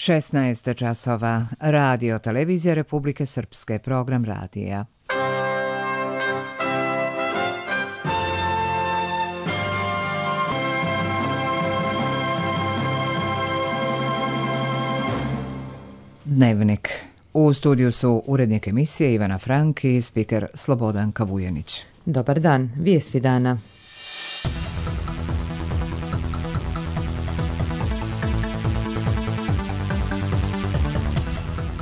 16 časova. Radio Televizija Republike Srpske, program radija. Dnevnik. U studiju su urednik emisije Ivana Frank i spiker Slobodan Kavujanić. Dobar dan, vijesti dana.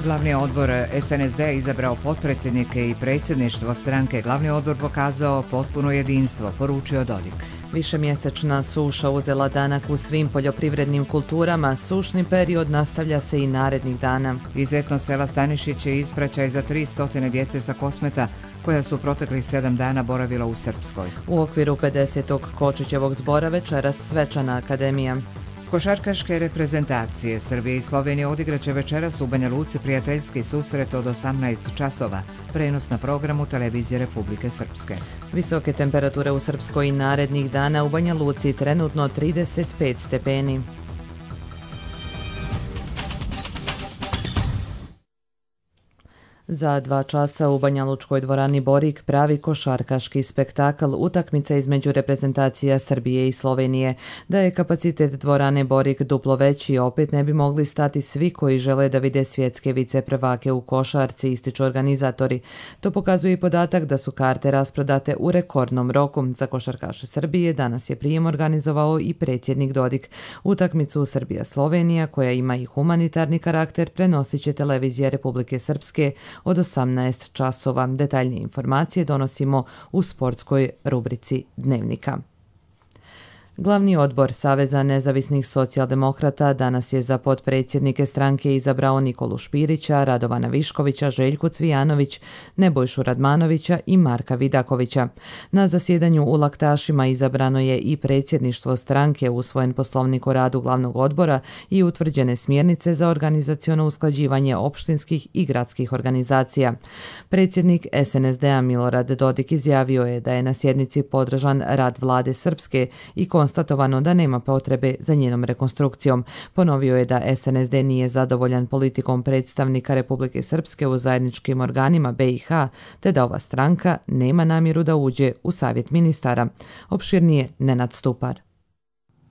Glavni odbor SNSD izabrao potpredsjednike i predsjedništvo stranke. Glavni odbor pokazao potpuno jedinstvo, poručio Dodik. Višemjesečna suša uzela danak u svim poljoprivrednim kulturama. Sušni period nastavlja se i narednih dana. Iz etno sela Stanišić je ispraćaj za 300 djece sa Kosmeta, koja su proteklih 7 dana boravila u Srpskoj. U okviru 50. Kočićevog zbora večeras svečana akademija. Košarkaške reprezentacije Srbije i Slovenije odigraće večeras u Banja Luci prijateljski susret od 18 časova. Prenos na programu Televizije Republike Srpske. Visoke temperature u Srpskoj i narednih dana, u Banja Luci trenutno 35 stepeni. Za 2 časa u Banjalučkoj dvorani Borik pravi košarkaški spektakl, utakmica između reprezentacija Srbije i Slovenije. Da je kapacitet dvorane Borik duplo veći, opet ne bi mogli stati svi koji žele da vide svjetske viceprvake u košarci, ističu organizatori. To pokazuje i podatak da su karte rasprodate u rekordnom roku. Za košarkaše Srbije danas je prijem organizovao i predsjednik Dodik. Utakmicu Srbija-Slovenija, koja ima i humanitarni karakter, prenosit će Televizija Republike Srpske od 18 časova. Detaljnije informacije donosimo u sportskoj rubrici Dnevnika. Glavni odbor Saveza nezavisnih socijaldemokrata danas je za potpredsjednike stranke izabrao Nikolu Špirića, Radovana Viškovića, Željku Cvijanović, Nebojšu Radmanovića i Marka Vidakovića. Na zasjedanju u Laktašima izabrano je i predsjedništvo stranke, usvojen poslovnik o radu glavnog odbora i utvrđene smjernice za organizaciono usklađivanje opštinskih i gradskih organizacija. Predsjednik SNSD-a Milorad Dodik izjavio je da je na sjednici podržan rad vlade Srpske i konstatovano da nema potrebe za njenom rekonstrukcijom. Ponovio je da SNSD nije zadovoljan politikom predstavnika Republike Srpske u zajedničkim organima BiH, te da ova stranka nema namjeru da uđe u savjet ministara. Opširnije Nenad Stupar.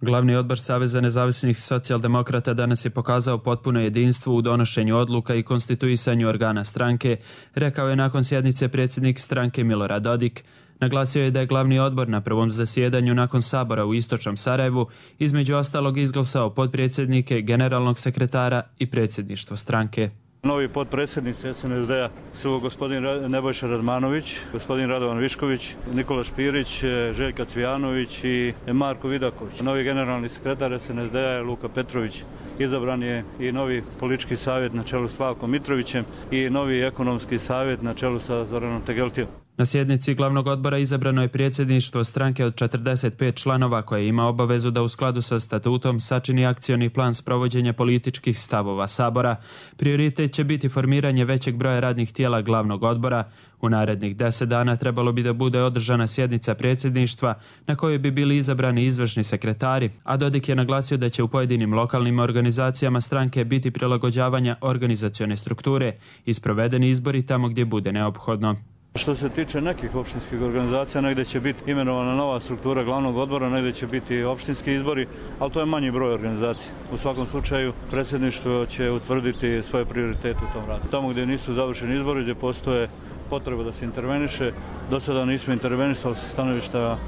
Glavni odbor Saveza nezavisnih socijaldemokrata danas je pokazao potpuno jedinstvo u donošenju odluka i konstituisanju organa stranke, rekao je nakon sjednice predsjednik stranke Milorad Dodik. Naglasio je da je glavni odbor na prvom zasjedanju nakon sabora u istočnom Sarajevu između ostalog izglasao potpredsjednike, generalnog sekretara i predsjedništvo stranke. Novi potpredsjednici SNSD-a su gospodin Nebojša Radmanović, gospodin Radovan Višković, Nikola Špirić, Željka Cvijanović i Marko Vidaković. Novi generalni sekretar SNSD-a je Luka Petrović. Izabran je i novi politički savjet na čelu s Slavkom Mitrovićem i novi ekonomski savjet na čelu sa Zoranom Tegeltijom. Na sjednici glavnog odbora izabrano je predsjedništvo stranke od 45 članova koje ima obavezu da u skladu sa statutom sačini akcioni plan sprovođenja političkih stavova Sabora. Prioritet će biti formiranje većeg broja radnih tijela glavnog odbora. U narednih 10 dana trebalo bi da bude održana sjednica predsjedništva na kojoj bi bili izabrani izvršni sekretari, a Dodik je naglasio da će u pojedinim lokalnim organizacijama stranke biti prilagođavanja organizacione strukture i sprovedeni izbori tamo gdje bude neophodno. Što se tiče nekih opštinskih organizacija, negdje će biti imenovana nova struktura glavnog odbora, negdje će biti opštinski izbori, ali to je manji broj organizacija. U svakom slučaju, predsjedništvo će utvrditi svoje prioritete u tom radu. Tamo gdje nisu završeni izbori, gdje postoje potreba da se interveniše, do sada nismo intervenisali sa stanovišta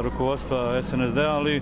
rukovodstva SNSD, ali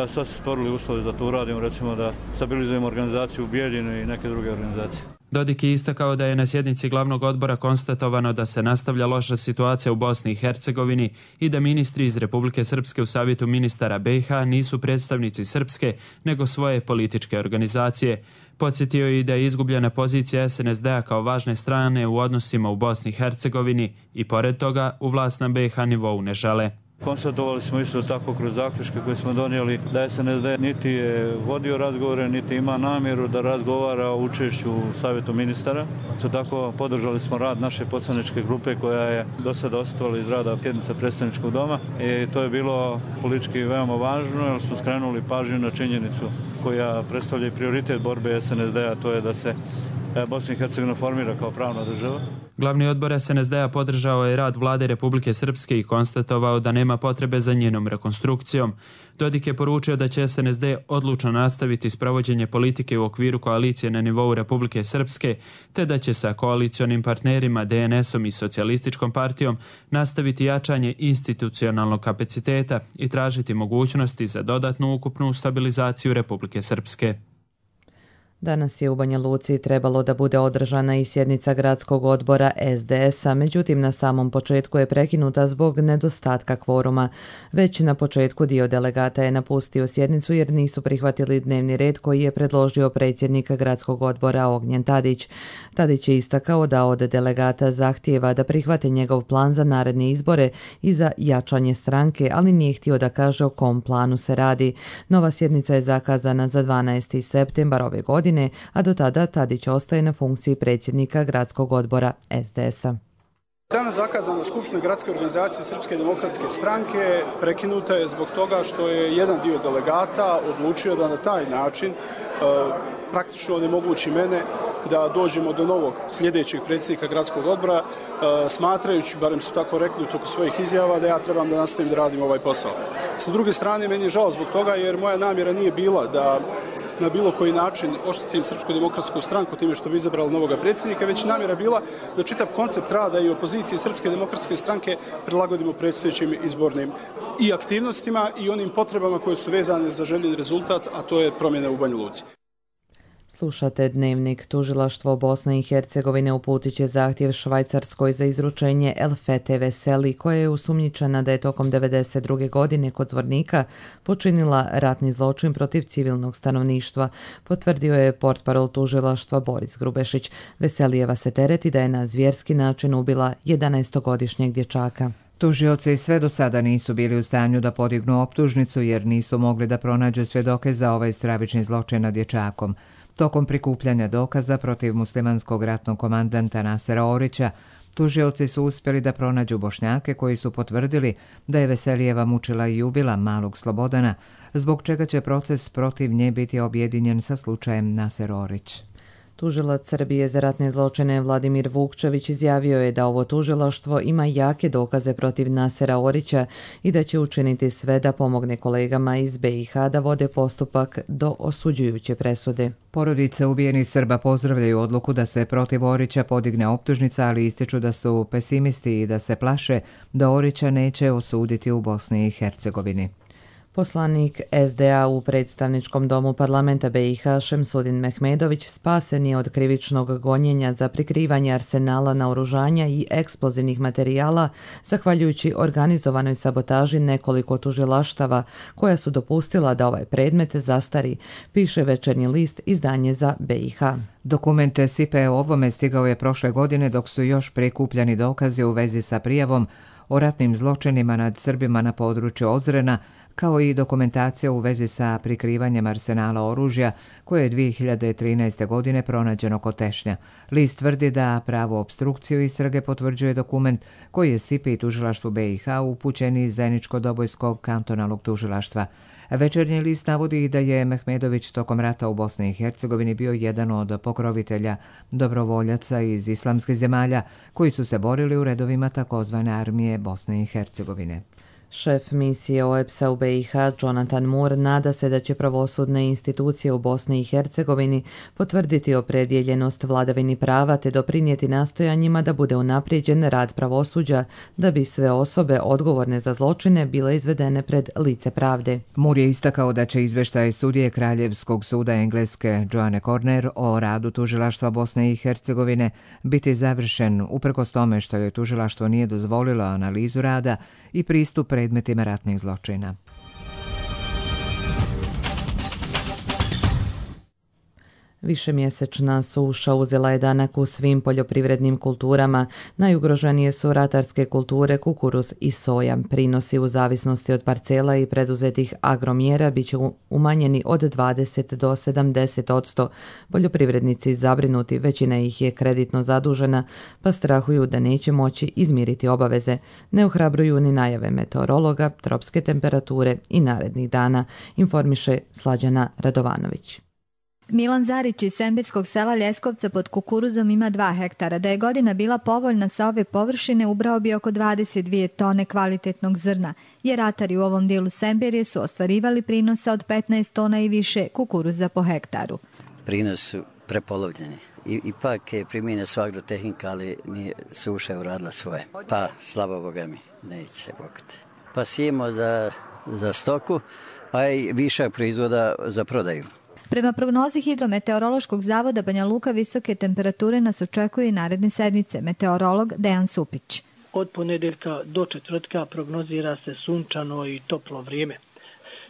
sad se stvorili uslovi da to uradimo, recimo da stabilizujemo organizaciju u Bijeljinu i neke druge organizacije. Dodik je istakao da je na sjednici glavnog odbora konstatovano da se nastavlja loša situacija u Bosni i Hercegovini i da ministri iz Republike Srpske u savjetu ministara BiH nisu predstavnici Srpske, nego svoje političke organizacije. Podsjetio je i da je izgubljena pozicija SNSD-a kao važne strane u odnosima u Bosni i Hercegovini i pored toga u vlast na BiH nivou ne žele. Konstatovali smo isto tako kroz zaključke koje smo donijeli da SNSD niti je vodio razgovore, niti ima namjeru da razgovara o učešću u Savjetu ministara. Isto tako podržali smo rad naše poslaničke grupe koja je do sada ostala iz rada sjednica predstavničkog doma i to je bilo politički veoma važno jer smo skrenuli pažnju na činjenicu koja predstavlja i prioritet borbe SNSD-a, to je da se Bosna i Hercegovina formira kao pravna država. Glavni odbor SNSD-a podržao je rad vlade Republike Srpske i konstatovao da nema potrebe za njenom rekonstrukcijom. Dodik je poručio da će SNSD odlučno nastaviti sprovođenje politike u okviru koalicije na nivou Republike Srpske, te da će sa koalicionim partnerima DNS-om i Socijalističkom partijom nastaviti jačanje institucionalnog kapaciteta i tražiti mogućnosti za dodatnu ukupnu stabilizaciju Republike Srpske. Danas je u Banja Luci trebalo da bude održana i sjednica gradskog odbora SDS-a, međutim na samom početku je prekinuta zbog nedostatka kvoruma. Već na početku dio delegata je napustio sjednicu jer nisu prihvatili dnevni red koji je predložio predsjednik gradskog odbora Ognjen Tadić. Tadić je istakao da od delegata zahtijeva da prihvate njegov plan za naredne izbore i za jačanje stranke, ali nije htio da kaže o kom planu se radi. Nova sjednica je zakazana za 12. septembar ove godine, a do tada Tadić ostaje na funkciji predsjednika gradskog odbora SDS-a. Danas zakazana skupština gradske organizacije Srpske demokratske stranke prekinuta je zbog toga što je jedan dio delegata odlučio da na taj način praktično onemogući mene da dođemo do novog sljedećeg predsjednika gradskog odbora, smatrajući, barem su tako rekli u toku svojih izjava, da ja trebam da nastavim da radim ovaj posao. Sa druge strane, meni je žao zbog toga jer moja namjera nije bila da na bilo koji način oštetim Srpsku demokratsku stranku time što bi izabrali novoga predsjednika, već namjera bila da čitav koncept rada i opozicije Srpske demokratske stranke prilagodimo predstojećim izbornim i aktivnostima i onim potrebama koje su vezane za željen rezultat, a to je promjena u Banja Luci. Slušate Dnevnik. Tužilaštvo Bosne i Hercegovine uputit će zahtjev Švajcarskoj za izručenje Elfete Veseli, koja je osumnjičena da je tokom 1992. godine kod Zvornika počinila ratni zločin protiv civilnog stanovništva, potvrdio je portparol tužilaštva Boris Grubešić. Veselijeva se tereti da je na zvjerski način ubila 11-godišnjeg dječaka. Tužioci sve do sada nisu bili u stanju da podignu optužnicu jer nisu mogli da pronađu svjedoke za ovaj stravični zločin nad dječakom. Tokom prikupljanja dokaza protiv muslimanskog ratnog komandanta Nasera Orića, tužioci su uspjeli da pronađu Bošnjake koji su potvrdili da je Veselijeva mučila i ubila malog Slobodana, zbog čega će proces protiv nje biti objedinjen sa slučajem Naser Orić. Tužilac Srbije za ratne zločine Vladimir Vukčević izjavio je da ovo tužilaštvo ima jake dokaze protiv Nasera Orića i da će učiniti sve da pomogne kolegama iz BiH da vode postupak do osuđujuće presude. Porodice ubijenih Srba pozdravljaju odluku da se protiv Orića podigne optužnica, ali ističu da su pesimisti i da se plaše da Orića neće osuditi u Bosni i Hercegovini. Poslanik SDA u predstavničkom domu parlamenta BiH Šemsudin Mehmedović spasen je od krivičnog gonjenja za prikrivanje arsenala naoružanja i eksplozivnih materijala zahvaljujući organizovanoj sabotaži nekoliko tužilaštava koja su dopustila da ovaj predmet zastari, piše Večernji list, izdanje za BiH. Dokument SIPE o ovome stigao je prošle godine dok su još prikupljani dokazi u vezi sa prijavom o ratnim zločinima nad Srbima na području Ozrena, kao i dokumentacija u vezi sa prikrivanjem arsenala oružja koje je 2013. godine pronađeno kod Tešnja. List tvrdi da pravu opstrukciju istrage potvrđuje dokument koji je SIPE i tužilaštvu BiH upućen iz Zeničko-Dobojskog kantonalnog tužilaštva. Večernji list navodi da je Mehmedović tokom rata u Bosni i Hercegovini bio jedan od pokrovitelja dobrovoljaca iz islamskih zemalja koji su se borili u redovima takozvane armije Bosne i Hercegovine. Šef misije OEBS-a u BiH Jonathan Moore nada se da će pravosudne institucije u Bosni i Hercegovini potvrditi opredjeljenost vladavini prava te doprinijeti nastojanjima da bude unaprijeđen rad pravosuđa da bi sve osobe odgovorne za zločine bile izvedene pred lice pravde. Moore je istakao da će izveštaj sudije Kraljevskog suda Engleske Joanne Corner o radu tužilaštva Bosne i Hercegovine biti završen uprkos tome što joj tužilaštvo nije dozvolilo analizu rada i pristup predmetima ratnih zločina. Višemjesečna suša uzela je danak u svim poljoprivrednim kulturama. Najugroženije su ratarske kulture, kukuruz i soja. Prinosi u zavisnosti od parcela i preduzetih agromjera bit će umanjeni od 20 do 70%. Poljoprivrednici zabrinuti, većina ih je kreditno zadužena, pa strahuju da neće moći izmiriti obaveze. Ne ohrabruju ni najave meteorologa, tropske temperature i narednih dana, informiše Slađana Radovanović. Milan Zarić iz sembirskog sela Ljeskovca pod kukuruzom ima 2 hektara. Da je godina bila povoljna sa ove površine, ubrao bi oko 22 tone kvalitetnog zrna, jer ratari u ovom dijelu Sembirje su ostvarivali prinosa od 15 tona i više kukuruza po hektaru. Prinos su prepolovljeni. Ipak je primjenja sva agrotehnika, ali nije suša uradila svoje. Pa, slabo Boga mi, neće se bogati. Pa sijemo za stoku, a i višak proizvoda za prodaju. Prema prognozi Hidrometeorološkog zavoda Banja Luka, visoke temperature nas očekuje i naredne sedmice. Meteorolog Dejan Supić. Od ponedeljka do četvrtka prognozira se sunčano i toplo vrijeme.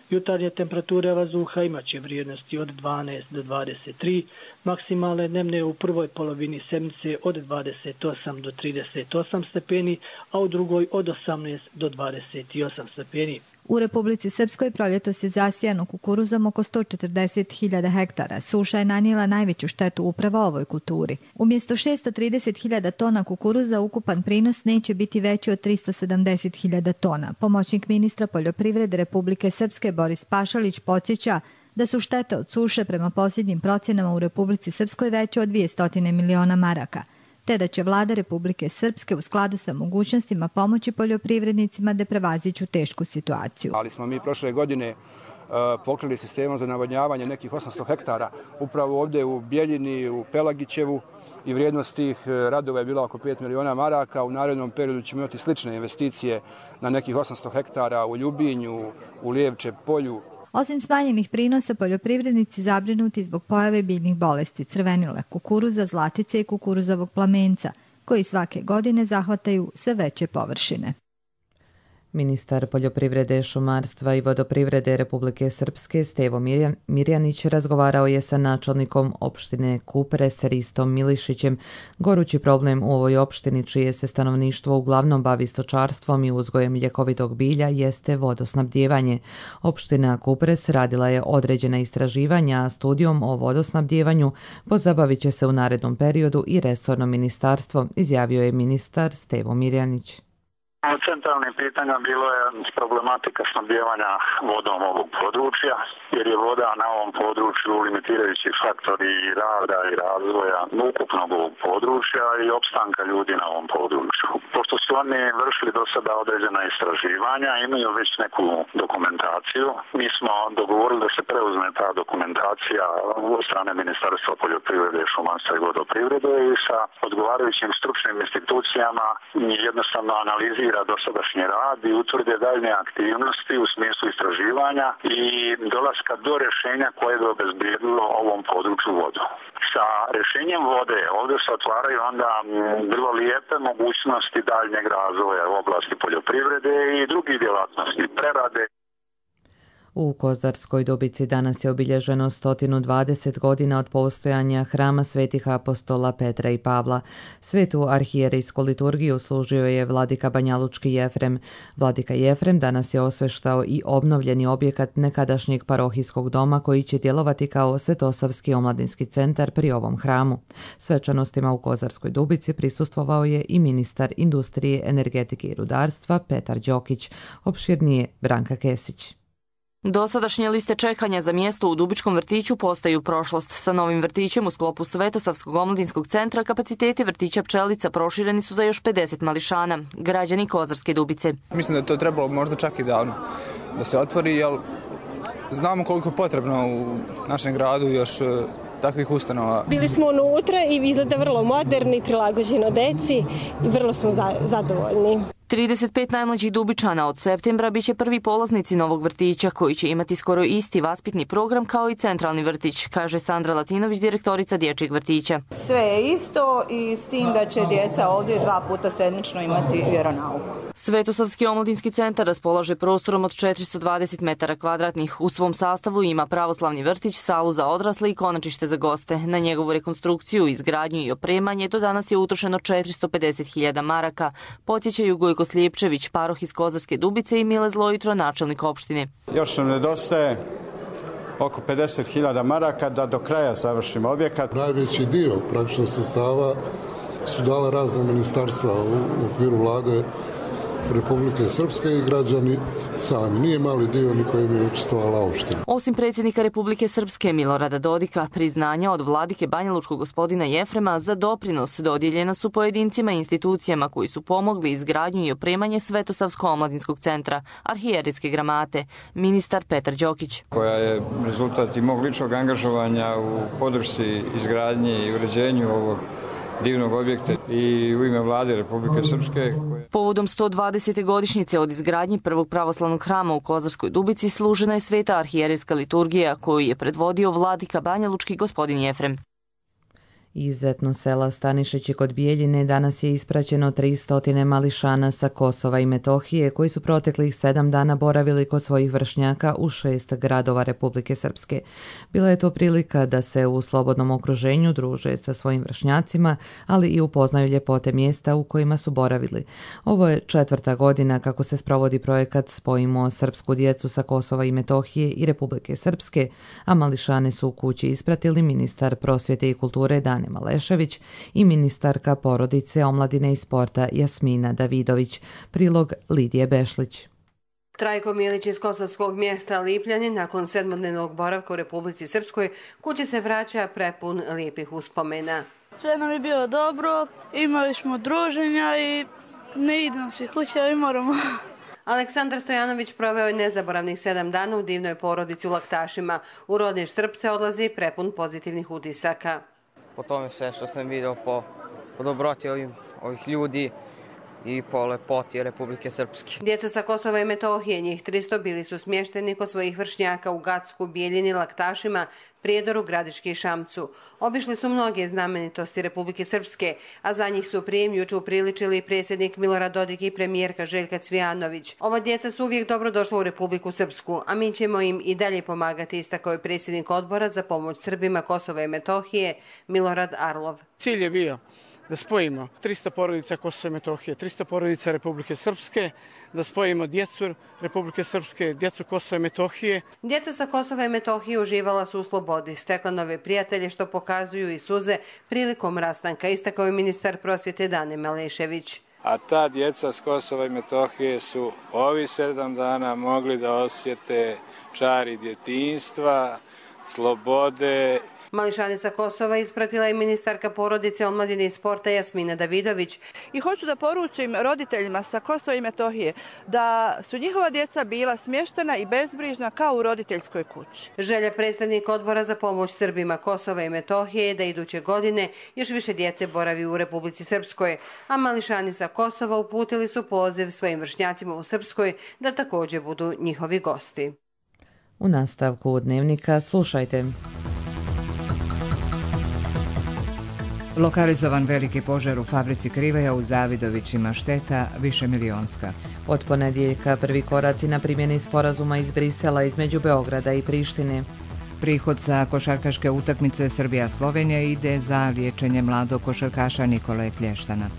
Jutarnje temperature vazduha imaće vrijednosti od 12 do 23, maksimalne dnevne u prvoj polovini sedmice od 28 do 38 stepeni, a u drugoj od 18 do 28 stepeni. U Republici Srpskoj proljetos je zasijano kukuruzom oko 140.000 hektara. Suša je nanijela najveću štetu upravo ovoj kulturi. Umjesto 630.000 tona kukuruza, ukupan prinos neće biti veći od 370.000 tona. Pomoćnik ministra poljoprivrede Republike Srpske Boris Pašalić podsjeća da su štete od suše prema posljednjim procjenama u Republici Srpskoj veće od 200 miliona maraka, te da će vlada Republike Srpske u skladu sa mogućnostima pomoći poljoprivrednicima da prevaziđu tešku situaciju. Ali smo mi prošle godine pokrili sistemom za navodnjavanje nekih 800 hektara upravo ovdje u Bjeljini, u Pelagićevu, i vrijednost tih radova je bila oko 5 miliona maraka. U narednom periodu ćemo imati slične investicije na nekih 800 hektara u Ljubinju, u Lijevče polju. Osim smanjenih prinosa, poljoprivrednici zabrinuti zbog pojave biljnih bolesti crvenile kukuruza, zlatice i kukuruzovog plamenca, koji svake godine zahvataju sve veće površine. Ministar poljoprivrede, šumarstva i vodoprivrede Republike Srpske Stevo Mirjanić razgovarao je sa načelnikom opštine Kupres Ristom Milišićem. Gorući problem u ovoj opštini, čije se stanovništvo uglavnom bavi stočarstvom i uzgojem ljekovitog bilja, jeste vodosnabdijevanje. Opština Kupres radila je određena istraživanja, a studijom o vodosnabdijevanju pozabavit će se u narednom periodu i resorno ministarstvo, izjavio je ministar Stevo Mirjanić. Centralnim pitanjem bilo je problematika snabdijevanja vodom ovog područja, jer je voda na ovom području limitirajući faktor i rada i razvoja ukupnog ovog područja i opstanka ljudi na ovom području. Pošto su oni vršili do sada određena istraživanja, imaju već neku dokumentaciju, mi smo dogovorili da se preuzme ta dokumentacija od strane Ministarstva poljoprivrede, šumarstva i vodoprivrede i sa odgovarajućim stručnim institucijama jednostavno analizira dosadašnji rad i utvrde daljnje aktivnosti u smislu istraživanja i dolaska do rješenja koje bi obezbijedilo ovom području vodu. Sa rješenjem vode ovdje se otvaraju onda vrlo lijepe mogućnosti daljnjeg razvoja u oblasti poljoprivrede i drugih djelatnosti, prerade. U Kozarskoj Dubici danas je obilježeno 120 godina od postojanja hrama svetih apostola Petra i Pavla. Svetu arhijerejsku liturgiju služio je vladika banjalučki Jefrem. Vladika Jefrem danas je osveštao i obnovljeni objekat nekadašnjeg parohijskog doma koji će djelovati kao Svetosavski omladinski centar pri ovom hramu. Svečanostima u Kozarskoj Dubici prisustvovao je i ministar industrije, energetike i rudarstva Petar Đokić. Opširnije Branka Kesić. Dosadašnje liste čekanja za mjesto u Dubičkom vrtiću postaju prošlost. Sa novim vrtićem u sklopu Svetosavskog omladinskog centra kapaciteti vrtića Pčelica prošireni su za još 50 mališana. Građani Kozarske Dubice. Mislim da je to trebalo možda čak i davno da se otvori, jer znamo koliko je potrebno u našem gradu još takvih ustanova. Bili smo unutra i izgleda vrlo moderni, prilagođeno deci i vrlo smo zadovoljni. 35 najmlađih Dubičana od septembra biće prvi polaznici novog vrtića koji će imati skoro isti vaspitni program kao i centralni vrtić, kaže Sandra Latinović, direktorica dječjeg vrtića. Sve je isto i s tim da će djeca ovdje 2 puta sedmično imati vjeronauku. Svetosavski omladinski centar raspolaže prostorom od 420 metara kvadratnih. U svom sastavu ima pravoslavni vrtić, salu za odrasle i konačište za goste. Na njegovu rekonstrukciju, izgradnju i opremanje do danas je utrošeno 450.000 maraka, podsjećaju Gojko Slijepčević, paroh iz Kozarske Dubice, i Mile Zlojitro, načelnik opštine. Još nam nedostaje oko 50.000 maraka da do kraja završimo objekat. Najveći dio praktično sredstava su dala razna ministarstva u okviru vlade Republike Srpske i građani sami. Nije mali dio ni kojim je učestvovala opština. Osim predsjednika Republike Srpske Milorada Dodika, priznanja od vladike banjalučkog gospodina Jefrema za doprinos dodijeljena su pojedincima i institucijama koji su pomogli izgradnju i opremanje Svetosavsko-omladinskog centra, arhijerijske gramate, ministar Petar Đokić. Koja je rezultat i mog ličnog angažovanja u podršci izgradnji i uređenju ovog divnog objekta i u ime vlade Republike Srpske. Povodom 120. godišnjice od izgradnje prvog pravoslavnog hrama u Kozarskoj Dubici služena je sveta arhijerijska liturgija koju je predvodio vladika banjalučki gospodin Jefrem. Iz etno sela Stanišići kod Bijeljine danas je ispraćeno 300 mališana sa Kosova i Metohije koji su proteklih 7 dana boravili kod svojih vršnjaka u 6 gradova Republike Srpske. Bila je to prilika da se u slobodnom okruženju druže sa svojim vršnjacima, ali i upoznaju ljepote mjesta u kojima su boravili. Ovo je 4. godina kako se sprovodi projekat Spojimo srpsku djecu sa Kosova i Metohije i Republike Srpske, a mališane su u kući ispratili ministar prosvjete i kulture Dane Malešević i ministarka porodice, omladine i sporta Jasmina Davidović. Prilog Lidije Bešlić. Trajko Milić iz kosovskog mjesta Lipljanin nakon 7-dnevnog boravka u Republici Srpskoj kući se vraća prepun lijepih uspomena. Sve nam je bilo dobro, imali smo druženja i ne idemo svi kuće, ali moramo. Aleksandar Stojanović proveo je nezaboravnih 7 dana u divnoj porodici u Laktašima. U rodni Štrpce odlazi prepun pozitivnih utisaka. Po tome sve što sam vidio, po dobroti ovih ljudi i po lepoti Republike Srpske. Djeca sa Kosova i Metohije, njih 300, bili su smješteni kod svojih vršnjaka u Gacku, Bijeljini, Laktašima, Prijedoru, Gradiški i Šamcu. Obišli su mnoge znamenitosti Republike Srpske, a za njih su prijem juče upriličili predsjednik Milorad Dodik i premijerka Željka Cvijanović. Ova djeca su uvijek dobro došla u Republiku Srpsku, a mi ćemo im i dalje pomagati, istakao je predsjednik odbora za pomoć Srbima Kosova i Metohije Milorad Arlov. Cilj je bio da spojimo 300 porodica Kosova i Metohije, 300 porodica Republike Srpske, da spojimo djecu Republike Srpske, djecu Kosova i Metohije. Djeca sa Kosova i Metohije uživala su u slobodi, stekla nove prijatelje što pokazuju i suze prilikom rastanka, istakao je ministar prosvjete Dane Malešević. A ta djeca s Kosova i Metohije su ovi 7 dana mogli da osjete čari djetinjstva, slobode. Mališane sa Kosova ispratila je ministarka porodice, omladine i sporta Jasmina Davidović. I hoću da poručim roditeljima sa Kosova i Metohije da su njihova djeca bila smještena i bezbrižna kao u roditeljskoj kući. Želja predstavnika odbora za pomoć Srbima Kosova i Metohije je da iduće godine još više djece boravi u Republici Srpskoj, a mališani sa Kosova uputili su poziv svojim vršnjacima u Srpskoj da također budu njihovi gosti. U nastavku Dnevnika slušajte. Lokalizovan veliki požar u fabrici Kriveja u Zavidovićima, šteta višemilionska. Od ponedjeljka prvi koraci na primjeni sporazuma iz Brisela između Beograda i Prištine. Prihod sa košarkaške utakmice Srbija-Slovenija ide za liječenje mladog košarkaša Nikole Klještana.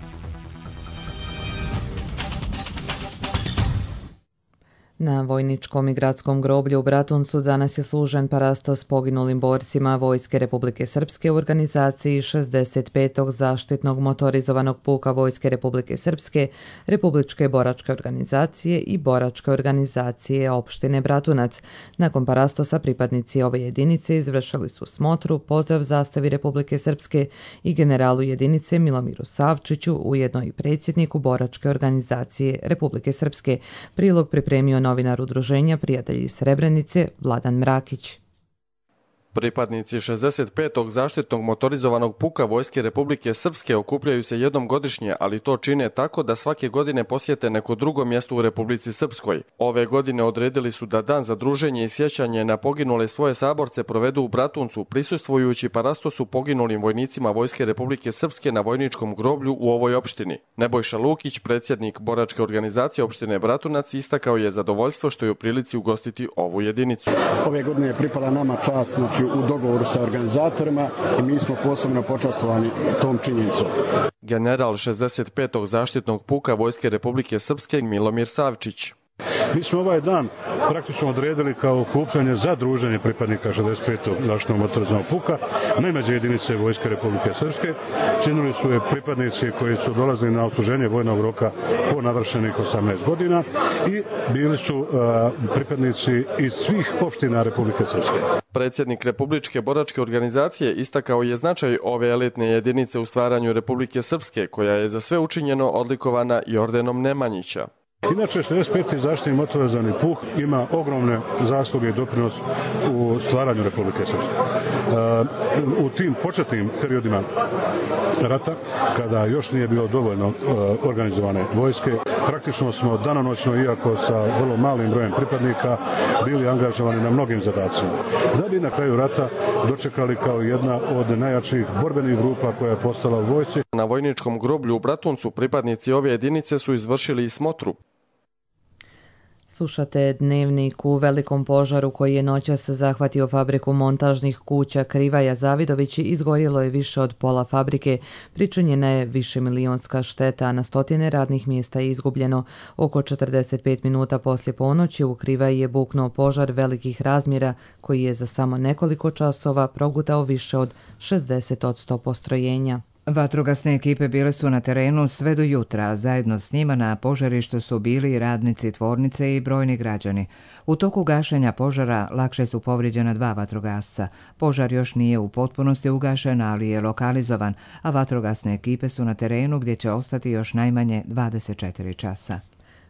Na vojničkom i gradskom groblju u Bratuncu danas je služen parasto s poginulim borcima Vojske Republike Srpske u organizaciji 65. zaštitnog motorizovanog puka Vojske Republike Srpske, Republičke boračke organizacije i Boračke organizacije opštine Bratunac. Nakon parastosa pripadnici ove jedinice izvršili su smotru, pozdrav zastavi Republike Srpske i generalu jedinice Milomiru Savčiću, ujedno i predsjedniku Boračke organizacije Republike Srpske. Prilog pripremio novinar udruženja Prijatelji Srebrenice Vladan Mrakić. Pripadnici 65. zaštitnog motorizovanog puka Vojske Republike Srpske okupljaju se jednom godišnje, ali to čine tako da svake godine posjete neko drugo mjesto u Republici Srpskoj. Ove godine odredili su da dan za druženje i sjećanje na poginule svoje saborce provedu u Bratuncu, prisustvujući parastosu poginulim vojnicima Vojske Republike Srpske na vojničkom groblju u ovoj opštini. Nebojša Lukić, predsjednik boračke organizacije opštine Bratunac, istakao je zadovoljstvo što je u prilici ugostiti ovu jedinicu. Ove godine je pripala nama čast, u dogovoru sa organizatorima i mi smo posebno počastovani tom činjenicom. General 65. zaštitnog puka Vojske Republike Srpske Milomir Savčić. Mi smo ovaj dan praktično odredili kao okupljanje za druženje pripadnika 65. zaštitnog motorizovanog puka najmlađe jedinice Vojske Republike Srpske. Činili su je pripadnici koji su dolazili na odsluženje vojnog roka po navršenih 18 godina i bili su pripadnici iz svih opština Republike Srpske. Predsjednik Republičke boračke organizacije istakao je značaj ove elitne jedinice u stvaranju Republike Srpske, koja je za sve učinjeno odlikovana i ordenom Nemanjića. Inače, 65. zaštitni motorizovani puh ima ogromne zasluge i doprinos u stvaranju Republike Srpske. U tim početnim periodima rata, kada još nije bilo dovoljno organizovane vojske, praktično smo danonoćno, iako sa vrlo malim brojem pripadnika, bili angažovani na mnogim zadacima. Da bi na kraju rata dočekali kao jedna od najjačih borbenih grupa koja je postala u vojsci. Na vojničkom groblju u Bratuncu pripadnici ove jedinice su izvršili i smotru. Slušate Dnevnik. U velikom požaru koji je noćas zahvatio fabriku montažnih kuća Krivaja Zavidović izgorjelo je više od pola fabrike, pričinjena je višemilionska šteta, a na stotine radnih mjesta je izgubljeno. Oko 45 minuta poslije ponoći u Krivaji je buknuo požar velikih razmjera koji je za samo nekoliko časova progutao više od 60% postrojenja. Vatrogasne ekipe bile su na terenu sve do jutra, zajedno s njima na požarištu su bili i radnici tvornice i brojni građani. U toku gašenja požara lakše su povrijeđena 2 vatrogasca. Požar još nije u potpunosti ugašen, ali je lokalizovan, a vatrogasne ekipe su na terenu gdje će ostati još najmanje 24 časa.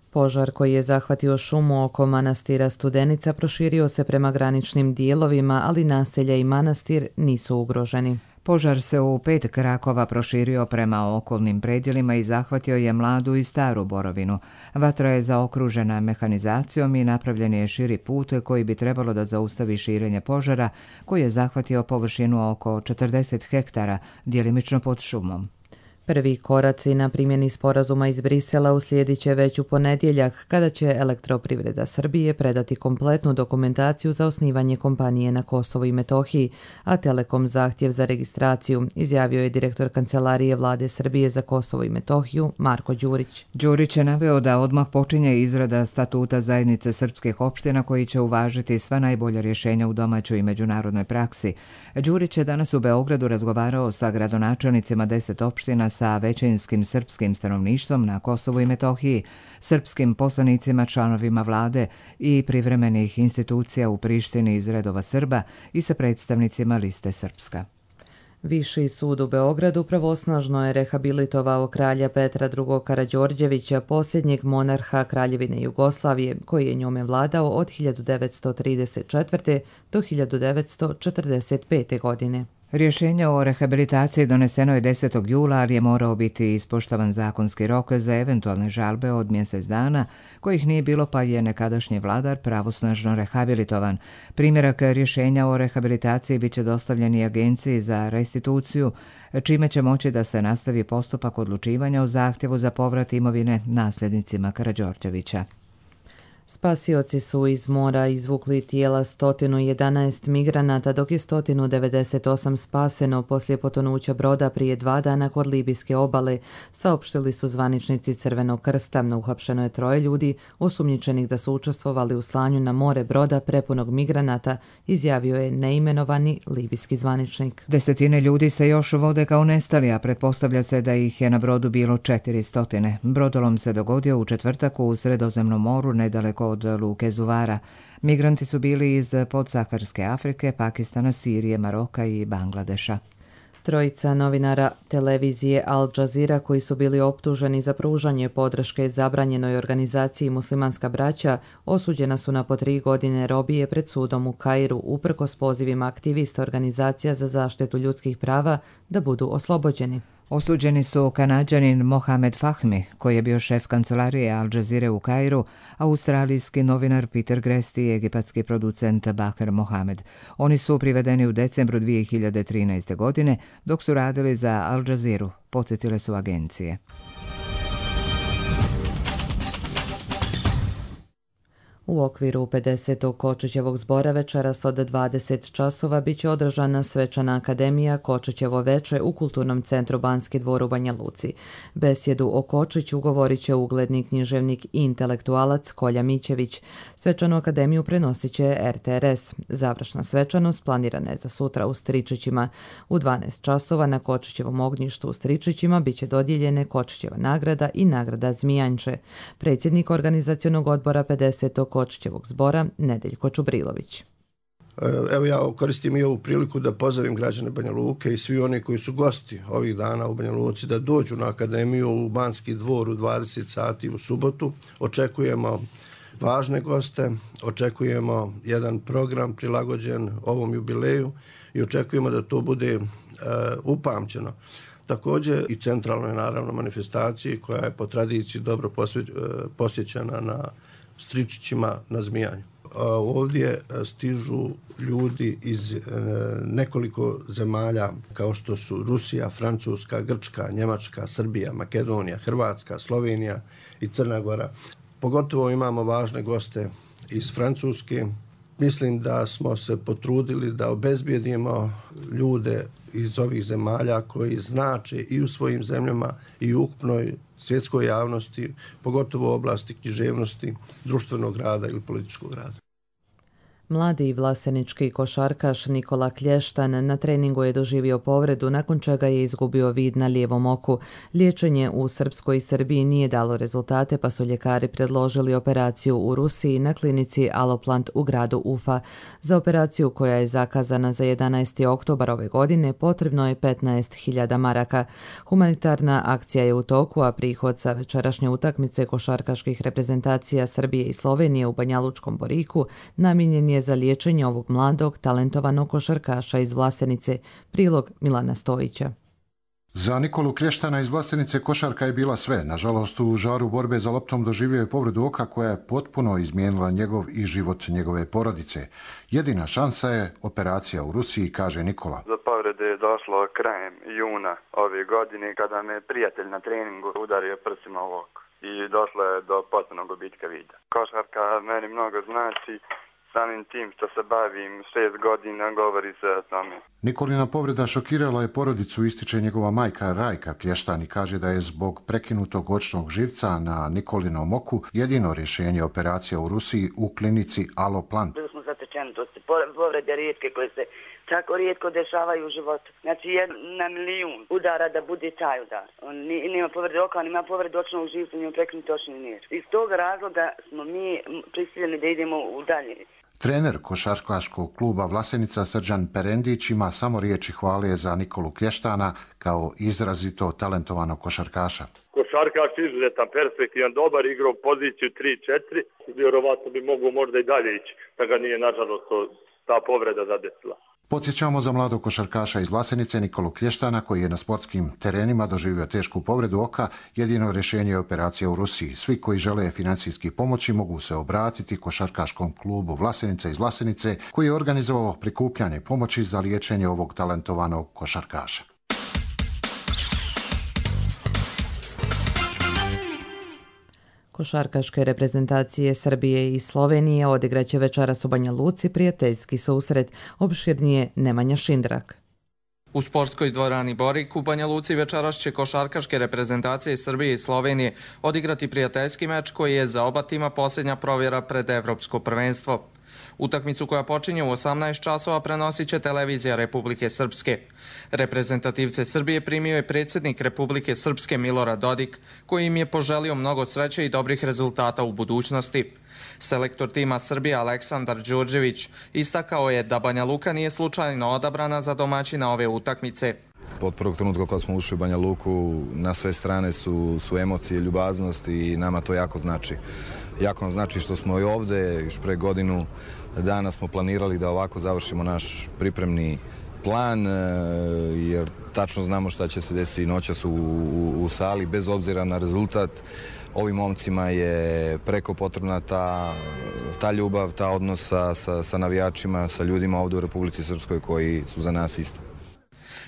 Požar koji je zahvatio šumu oko manastira Studenica proširio se prema graničnim dijelovima, ali naselja i manastir nisu ugroženi. Požar se u 5 krakova proširio prema okolnim predjelima i zahvatio je Mladu i Staru Borovinu. Vatra je zaokružena mehanizacijom i napravljen je širi put koji bi trebalo da zaustavi širenje požara, koji je zahvatio površinu oko 40 hektara, djelimično pod šumom. Prvi koraci na primjeni sporazuma iz Brisela uslijedit će već u ponedjeljak, kada će Elektroprivreda Srbije predati kompletnu dokumentaciju za osnivanje kompanije na Kosovu i Metohiji, a Telekom zahtjev za registraciju, izjavio je direktor Kancelarije Vlade Srbije za Kosovo i Metohiju Marko Đurić. Đurić je naveo da odmah počinje izrada statuta zajednice srpskih opština koji će uvažiti sva najbolja rješenja u domaćoj i međunarodnoj praksi. Đurić je danas u Beogradu razgovarao sa gradonačelnicima 10 opština sa većinskim srpskim stanovništvom na Kosovu i Metohiji, srpskim poslanicima, članovima vlade i privremenih institucija u Prištini iz redova Srba i sa predstavnicima Liste Srpska. Viši sud u Beogradu pravosnažno je rehabilitovao kralja Petra II. Karađorđevića, posljednjeg monarha Kraljevine Jugoslavije, koji je njome vladao od 1934. do 1945. godine. Rješenje o rehabilitaciji doneseno je 10. jula, ali je morao biti ispoštovan zakonski rok za eventualne žalbe od mjesec dana, kojih nije bilo, pa je nekadašnji vladar pravosnažno rehabilitovan. Primjerak rješenja o rehabilitaciji biće dostavljen i Agenciji za restituciju, čime će moći da se nastavi postupak odlučivanja o zahtjevu za povrat imovine nasljednicima Karađorđevića. Spasioci su iz mora izvukli tijela 111 migranata, dok je 198 spaseno poslije potonuća broda prije 2 dana kod libijske obale, saopštili su zvaničnici Crvenog krsta. Uhapšeno je 3 ljudi osumnjičenih da su učestvovali u slanju na more broda prepunog migranata, izjavio je neimenovani libijski zvaničnik. Desetine ljudi se još vode kao nestali, a pretpostavlja se da ih je na brodu bilo 400. Brodolom se dogodio u četvrtak u Sredozemnom moru nedaleko od luke Zuvara. Migranti su bili iz podsaharske Afrike, Pakistana, Sirije, Maroka i Bangladeša. Trojica novinara televizije Al Jazeera koji su bili optuženi za pružanje podrške zabranjenoj organizaciji Muslimanska braća osuđena su na po 3 godine robije pred sudom u Kairu uprkos pozivima aktivista organizacija za zaštitu ljudskih prava da budu oslobođeni. Osuđeni su Kanađanin Mohamed Fahmi, koji je bio šef kancelarije Al Jazeere u Kairu, australijski novinar Peter Gresti i egipatski producent Baher Mohamed. Oni su privedeni u decembru 2013. godine dok su radili za Al Jazeeru, podsjetile su agencije. U okviru 50. Kočićevog zbora večeras od 20 časova biće održana svečana akademija Kočićevo veče u Kulturnom centru Banski dvor u Banja Luci. Besjedu o Kočiću govorit će ugledni književnik i intelektualac Kolja Mićević. Svečanu akademiju prenosit će RTRS. Završna svečanost planirana je za sutra u Stričićima. U 12 časova na Kočićevom ognjištu u Stričićima biće dodijeljene Kočićeva nagrada i nagrada Zmijanče. Predsjednik organizacionog odbora 50. Kočićevog zbora Nedeljko Čubrilović. Evo ja koristim i ovu priliku da pozdravim građane Banja Luke i svi oni koji su gosti ovih dana u Banja Luci da dođu na akademiju u Banski dvor u 20 sati u subotu. Očekujemo važne goste, očekujemo jedan program prilagođen ovom jubileju i očekujemo da to bude upamćeno. Također i centralnoj naravno manifestaciji koja je po tradiciji dobro posjećena na Stričićima na Zmijanju. Ovdje stižu ljudi iz nekoliko zemalja kao što su Rusija, Francuska, Grčka, Njemačka, Srbija, Makedonija, Hrvatska, Slovenija i Crna Gora. Pogotovo imamo važne goste iz Francuske. Mislim da smo se potrudili da obezbijedimo ljude iz ovih zemalja koji znače i u svojim zemljama i u ukupnoj svjetskoj javnosti, pogotovo u oblasti književnosti, društvenog rada ili političkog rada. Mladi vlasenički košarkaš Nikola Klještan na treningu je doživio povredu nakon čega je izgubio vid na lijevom oku. Liječenje u Srpskoj i Srbiji nije dalo rezultate pa su ljekari predložili operaciju u Rusiji na klinici Aloplant u gradu Ufa. Za operaciju koja je zakazana za 11. oktobar ove godine potrebno je 15.000 maraka. Humanitarna akcija je u toku, a prihod sa večerašnje utakmice košarkaških reprezentacija Srbije i Slovenije u Banjalučkom Boriku namijenjen je za liječenje ovog mladog, talentovanog košarkaša iz Vlasenice. Prilog Milana Stojića. Za Nikolu Klještana iz Vlasenice košarka je bila sve. Nažalost, u žaru borbe za loptom doživio je povredu oka koja je potpuno izmijenila njegov i život njegove porodice. Jedina šansa je operacija u Rusiji, kaže Nikola. Do povrede je došlo krajem juna ove godine kada me prijatelj na treningu udario prsima u oko i došlo je do potpunog gubitka vida. Košarka meni mnogo znači. Samim tim što se bavim 6 godina, govori se o tome. Nikolina povreda šokirala je porodicu, ističe njegova majka Rajka Klještan i kaže da je zbog prekinutog očnog živca na Nikolinom oku jedino rješenje operacija u Rusiji u klinici Aloplant. Bili smo zatečeni, to su povrede rijetke koje se tako rijetko dešavaju u životu. Znači na milijun udara da bude taj udar. On nima povrede oka, on ima povrede očnog živca, nima prekinuti očni nir. Iz tog razloga smo mi prisiljeni da idemo u dalje. Trener košarkaškog kluba Vlasenica Srđan Perendić ima samo riječi hvale za Nikolu Klještana kao izrazito talentovanog košarkaša. Košarkaš izuzetan, perspektivan, dobar, igrao poziciju 3-4, vjerovatno bi mogao možda i dalje ići, da ga nije nažalost ta povreda zadesila. Podsjećamo za mladog košarkaša iz Vlasenice Nikolu Klještana koji je na sportskim terenima doživio tešku povredu oka. Jedino rješenje je operacija u Rusiji. Svi koji žele financijski pomoći mogu se obratiti košarkaškom klubu Vlasenica iz Vlasenice koji je organizovao prikupljanje pomoći za liječenje ovog talentovanog košarkaša. Košarkaške reprezentacije Srbije i Slovenije odigraće večeras u Banja Luci prijateljski susret, opširnije Nemanja Šindrak. U sportskoj dvorani Borik u Banja Luci večeras će košarkaške reprezentacije Srbije i Slovenije odigrati prijateljski meč koji je za oba tima posljednja provjera pred Evropsko prvenstvo. Utakmicu koja počinje u 18 časova prenosit će televizija Republike Srpske. Reprezentativce Srbije primio je predsjednik Republike Srpske Milorad Dodik, koji im je poželio mnogo sreće i dobrih rezultata u budućnosti. Selektor tima Srbije Aleksandar Đurđević istakao je da Banja Luka nije slučajno odabrana za domaćina ove utakmice. Od prvog trenutka kad smo ušli u Banja Luku, na sve strane su emocije, ljubaznost i nama to jako znači. Jako nam znači što smo i ovdje, još pre godinu dana smo planirali da ovako završimo naš pripremni plan, jer tačno znamo šta će se desiti noćas u sali, bez obzira na rezultat. Ovim momcima je preko potrebna ta ljubav, ta odnos sa navijačima, sa ljudima ovdje u Republici Srpskoj koji su za nas isto.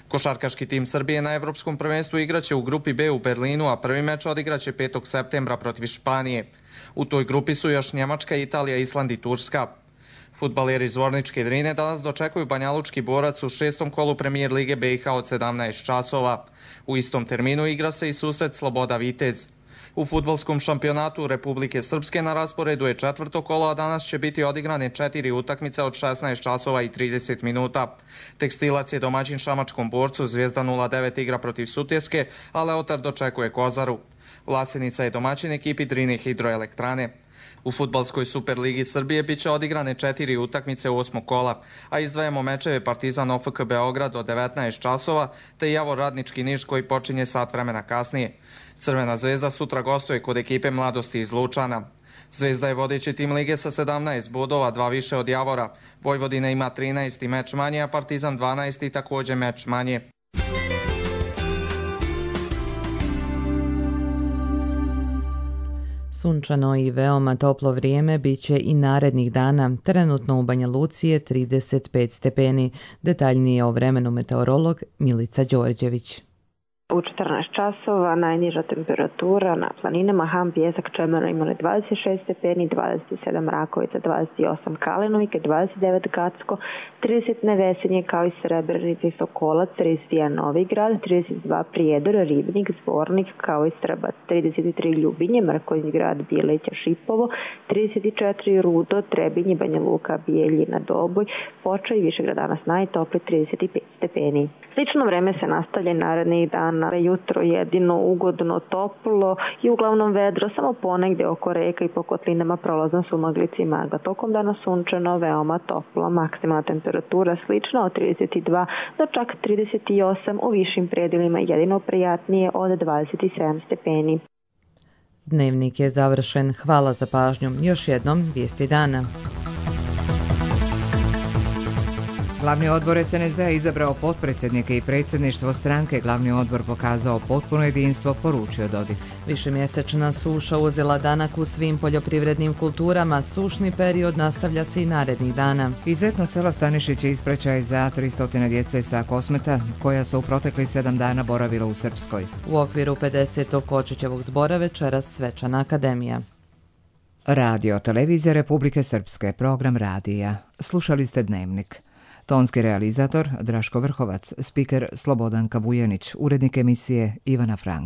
Košarkaški tim Srbije na Evropskom prvenstvu igraće u grupi B u Berlinu, a prvi meč odigraće 5. septembra protiv Španije. U toj grupi su još Njemačka, Italija, Island i Turska. Fudbaleri iz Zvorničke Drine danas dočekuju banjalučki Borac u 6. kolu Premijer Lige BiH od 17 časova. U istom terminu igra se i susret Sloboda Vitez. U fudbalskom šampionatu Republike Srpske na rasporedu je 4. kolo, a danas će biti odigrane 4 utakmice od 16 časova i 30 minuta. Tekstilac je domaćin šamačkom Borcu, Zvijezda 09 igra protiv Sutjeske, a Leotar dočekuje Kozaru. Vlasenica je domaćin ekipi Drine hidroelektrane. U fudbalskoj Superligi Srbije bit će odigrane 4 utakmice 8. kola, a izdvajamo mečeve Partizan OFK Beograd od 19 časova, te Javor Radnički Niš koji počinje sat vremena kasnije. Crvena zvezda sutra gostuje kod ekipe Mladosti iz Lučana. Zvezda je vodeći tim lige sa 17 bodova, 2 više od Javora. Vojvodina ima 13 meč manje, a Partizan 12 također meč manje. Sunčano i veoma toplo vrijeme biće i narednih dana. Trenutno u Banja Luci je 35 stepeni. Detaljnije o vremenu meteorolog Milica Đorđević. U 14 časova najniža temperatura na planinama Ham, Pijesak, Čemerno imali 26 stepeni, 27 Rakovica, 28 Kalinovike, 29 Gacko, 30 Nevesenje kao i Srebrenica i Sokolac, 31 Novigrad, 32 Prijedor, Ribnik, Zvornik kao i Strbac, 33 Ljubinje, Mrkonjić Grad, Bijelića, Šipovo, 34 Rudo, Trebinje, Banja Luka, Bijeljina, Doboj, Foča i Višegrad danas najtopli 35 stepeni. Slično vreme se nastavlja narednih dana. Jutro jedino ugodno toplo i uglavnom vedro, samo ponegdje oko reka i po kotlinama prolazan sumaglici i magla. Tokom dana sunčano, veoma toplo. Maksimalna temperatura slična od 32 do čak 38, u višim predjelima jedino prijatnije od 27 stepeni. Dnevnik je završen. Hvala za pažnju. Još jednom vijesti dana. Glavni odbor SNSD je izabrao potpredsjednike i predsjedništvo stranke. Glavni odbor pokazao potpuno jedinstvo, poručio Dodik. Višemjesečna suša uzela danak u svim poljoprivrednim kulturama. Sušni period nastavlja se i narednih dana. Izetno selo Stanišić je ispraćaj za 300 djece sa Kosmeta, koja su u proteklih 7 dana boravila u Srpskoj. U okviru 50. Kočićevog zbora večeras svečana akademija. Radio Televizija Republike Srpske, program radija. Slušali ste Dnevnik. Tonski realizator Draško Vrhovac, spiker Slobodanka Vujenić, urednik emisije Ivana Frank.